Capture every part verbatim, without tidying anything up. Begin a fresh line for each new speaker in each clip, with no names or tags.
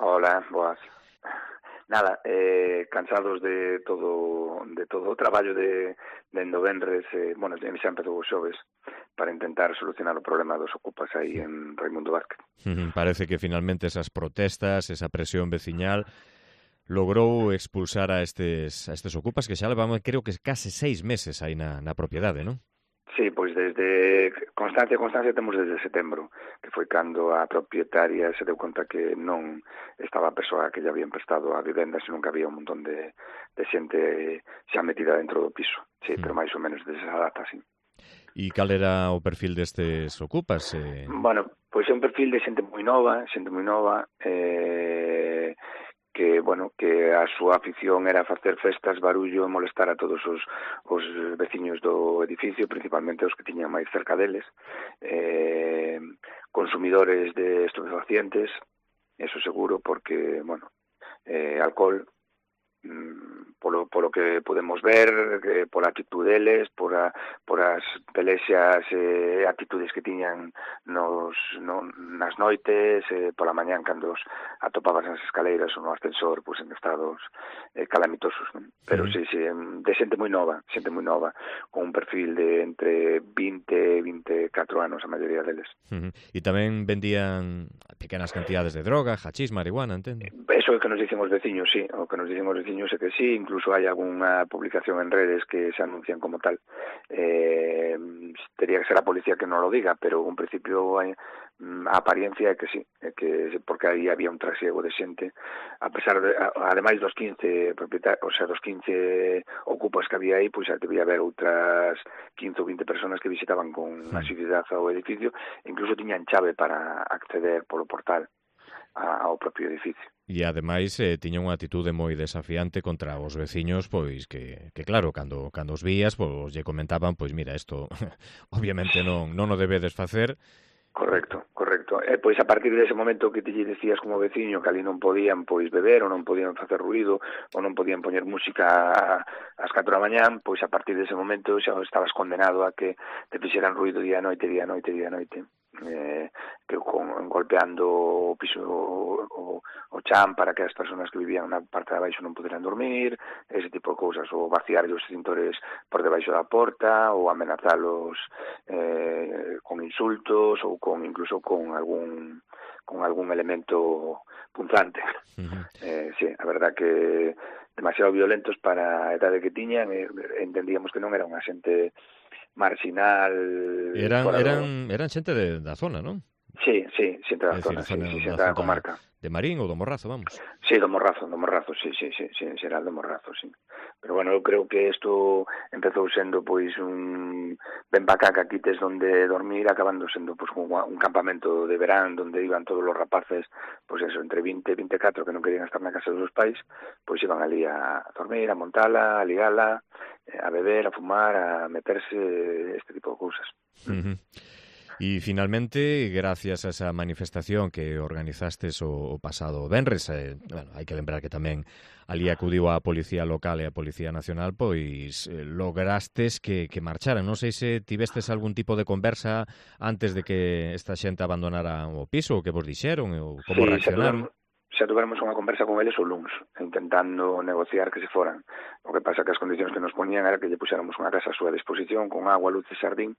Hola, boas. Nada, eh, cansados de todo de todo o traballo de dende o venres, eh, bueno, xa empezou os xoves para intentar solucionar o problema dos ocupas aí en Raimundo Vázquez.
Parece que finalmente esas protestas, esa presión veciñal logrou expulsar a estes a estes ocupas que xa levaban, creo que case seis meses aí na, na propiedade, non?
Sí, pois desde constancia constancia temos desde setembro, que foi cando a propietaria se deu conta que non estaba a persoa que lle habían prestado a vivenda, senón que había un montón de, de xente xa metida dentro do piso. Sí, mm. pero máis ou menos desde esa data, sí.
E cal era o perfil destes ocupas? Eh...
Bueno, pois é un perfil de xente moi nova, xente moi nova, eh... que, bueno, que a súa afición era facer festas, barullo e molestar a todos os, os veciños do edificio, principalmente os que tiñan máis cerca deles, eh, consumidores de estupefacientes, eso seguro, porque, bueno, eh, alcohol, mm, polo, polo que podemos ver, que pola actitud deles, por, a, por as pelexas e eh, actitudes que tiñan nos, no, nas noites, eh, pola mañán cando os atopabas nas escaleiras ou no ascensor, pues, en estados eh, calamitosos. ¿no? Pero sí, sí, de xente moi nova, xente moi nova, con un perfil de entre vinte e vinte e catro anos a maioría deles.
Uh -huh. E tamén vendían pequenas cantidades de droga, hachís, marihuana, entendo?
Eso é o que nos dicen os veciños, sí, o que nos dicen os veciños é que sí, incluso hai algunha publicación en redes que se anuncian como tal. Eh, tería que ser a policía que non lo diga, pero un principio hai, a apariencia é que sí, é que porque aí había un trasiego de xente, a pesar de, ademais dos quince propietarios, o sea, dos quince ocupas que había aí, pois pues, debía haber outras quince ou vinte personas que visitaban con sí. asiduidade ao edificio, incluso tiñan chave para acceder polo portal ao propio edificio.
E ademais eh, tiña unha atitude moi desafiante contra os veciños, pois que, que claro, cando cando os vías, pois lle comentaban, pois mira, isto obviamente non non o debedes facer.
Correcto, correcto. E pois a partir dese momento que te lle decías como veciño que ali non podían pois beber ou non podían facer ruido ou non podían poñer música ás catro da mañán, pois a partir dese momento xa estabas condenado a que te fixeran ruido día a noite, día a noite, día a noite. Eh, que con, golpeando o piso o, o chan para que as persoas que vivían na parte de abaixo non poderan dormir, ese tipo de cousas, ou vaciar os extintores por debaixo da porta, ou amenazalos eh, con insultos ou con incluso con algún con algún elemento punzante. Uh-huh. eh, sí, a verdad que demasiado violentos para a edade que tiñan, eh, entendíamos que non era unha xente marginal.
Eran eran eran xente de, da zona, non?
Sí, sí, xente da
decir,
zona, sí, sí, xente
da
da comarca.
De Marín ou do Morrazo, vamos.
Sí, do Morrazo, do Morrazo, sí, sí, sí, sí, en xeral do Morrazo, sí. Pero bueno, eu creo que isto empezou sendo pois un ben para cá que quites donde dormir, acabando sendo pois un, un campamento de verán donde iban todos os rapaces, pois eso, entre vinte e vinte e catro que non querían estar na casa dos seus pais, pois iban ali a dormir, a montala, a ligala, a beber, a fumar, a meterse, este tipo de cousas.
Uh-huh. E finalmente, gracias a esa manifestación que organizastes o, o pasado venres, eh, bueno, hai que lembrar que tamén ali acudiu a Policía Local e a Policía Nacional, pois eh, lograstes que, que marcharan. Non sei se tivestes algún tipo de conversa antes de que esta xente abandonara o piso, o que vos dixeron, ou como
sí,
reaccionaron.
Xa tuvermos unha conversa con eles o luns, intentando negociar que se foran. O que pasa que as condicións que nos poñían era que lle puxéramos unha casa a súa disposición, con agua, luz e xardín,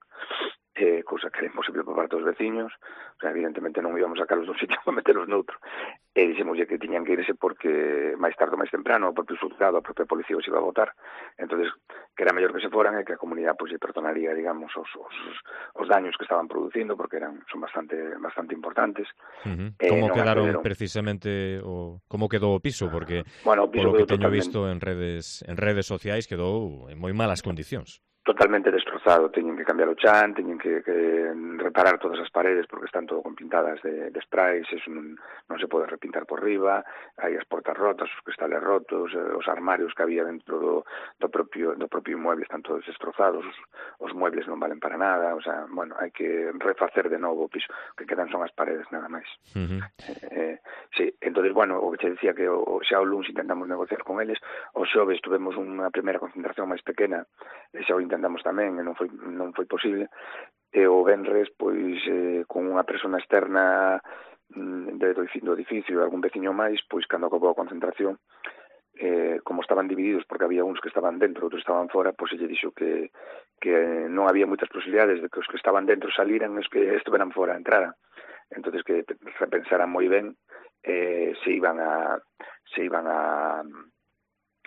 eh, cousa que era imposible por parte dos veciños. O sea, evidentemente non íbamos a sacarlos dun sitio para meterlos noutro. E dixemoslle que tiñan que irse porque máis tarde ou máis temprano o propio xulgado, a propia policía os iba a votar. Entonces, que era mellor que se foran e que a comunidade pois, lle perdonaría, digamos, os, os, os daños que estaban producindo, porque eran son bastante bastante importantes.
Uh-huh. Como eh, quedaron accederon... precisamente o como quedou o piso, porque
bueno, o piso
polo que teño
totalmente...
visto en redes en redes sociais quedou en moi malas condicións.
Totalmente destrozado, teñen que cambiar o chan, teñen que, que reparar todas as paredes porque están todo con pintadas de, de sprays, eso non, non se pode repintar por riba, hai as portas rotas, os cristales rotos, os armarios que había dentro do, do propio do propio inmueble están todos destrozados, os, os muebles non valen para nada, o sea, bueno, hai que refacer de novo o piso, que quedan son as paredes nada máis. Uh-huh. eh, sí, entonces, bueno, o que che decía que o, xa o luns intentamos negociar con eles, o xoves tuvemos unha primeira concentración máis pequena, e xa o intentamos tamén e non foi non foi posible, e o venres pois eh, con unha persona externa de, do, do edificio e algún veciño máis, pois cando acabou a concentración, eh, como estaban divididos porque había uns que estaban dentro, outros estaban fora, pois lle dixo que, que non había moitas posibilidades de que os que estaban dentro saliran e os que estuveran fora entraran. Entonces que repensaran moi ben eh, se iban a se iban a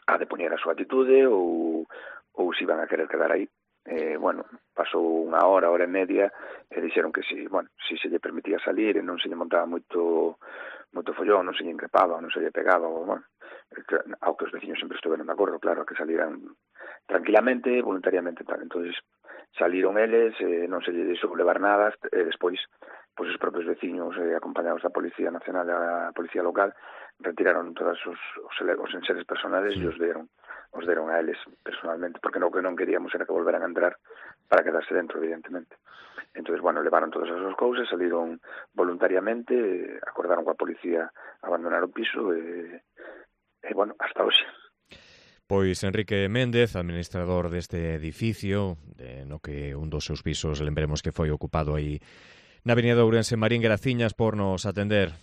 a depoñer a súa atitude ou, ou se iban a querer quedar aí. Eh, bueno, pasou unha hora, hora e media, e dixeron que si, bueno, si se lle permitía salir e non se lle montaba moito moito follón, non se lle increpaba, non se lle pegaba, ou, bueno, ao que os veciños sempre estuveron de acordo, claro, que salieran tranquilamente, voluntariamente, tal. Entonces saliron eles, eh, non se lle deixou levar nada, e despois, pois os propios veciños, eh, acompañados da Policía Nacional e da Policía Local, retiraron todos os, os, os enseres personales sí. e os deron os deron a eles personalmente, porque no que non queríamos era que volveran a entrar para quedarse dentro, evidentemente. Entonces, bueno, levaron todas as súas cousas, saliron voluntariamente, acordaron coa policía abandonar o piso e, e bueno, hasta hoxe.
Pois Enrique Méndez, administrador deste edificio, de, no que un dos seus pisos, lembremos que foi ocupado aí na Avenida de Ourense. Marín, graciñas por nos atender.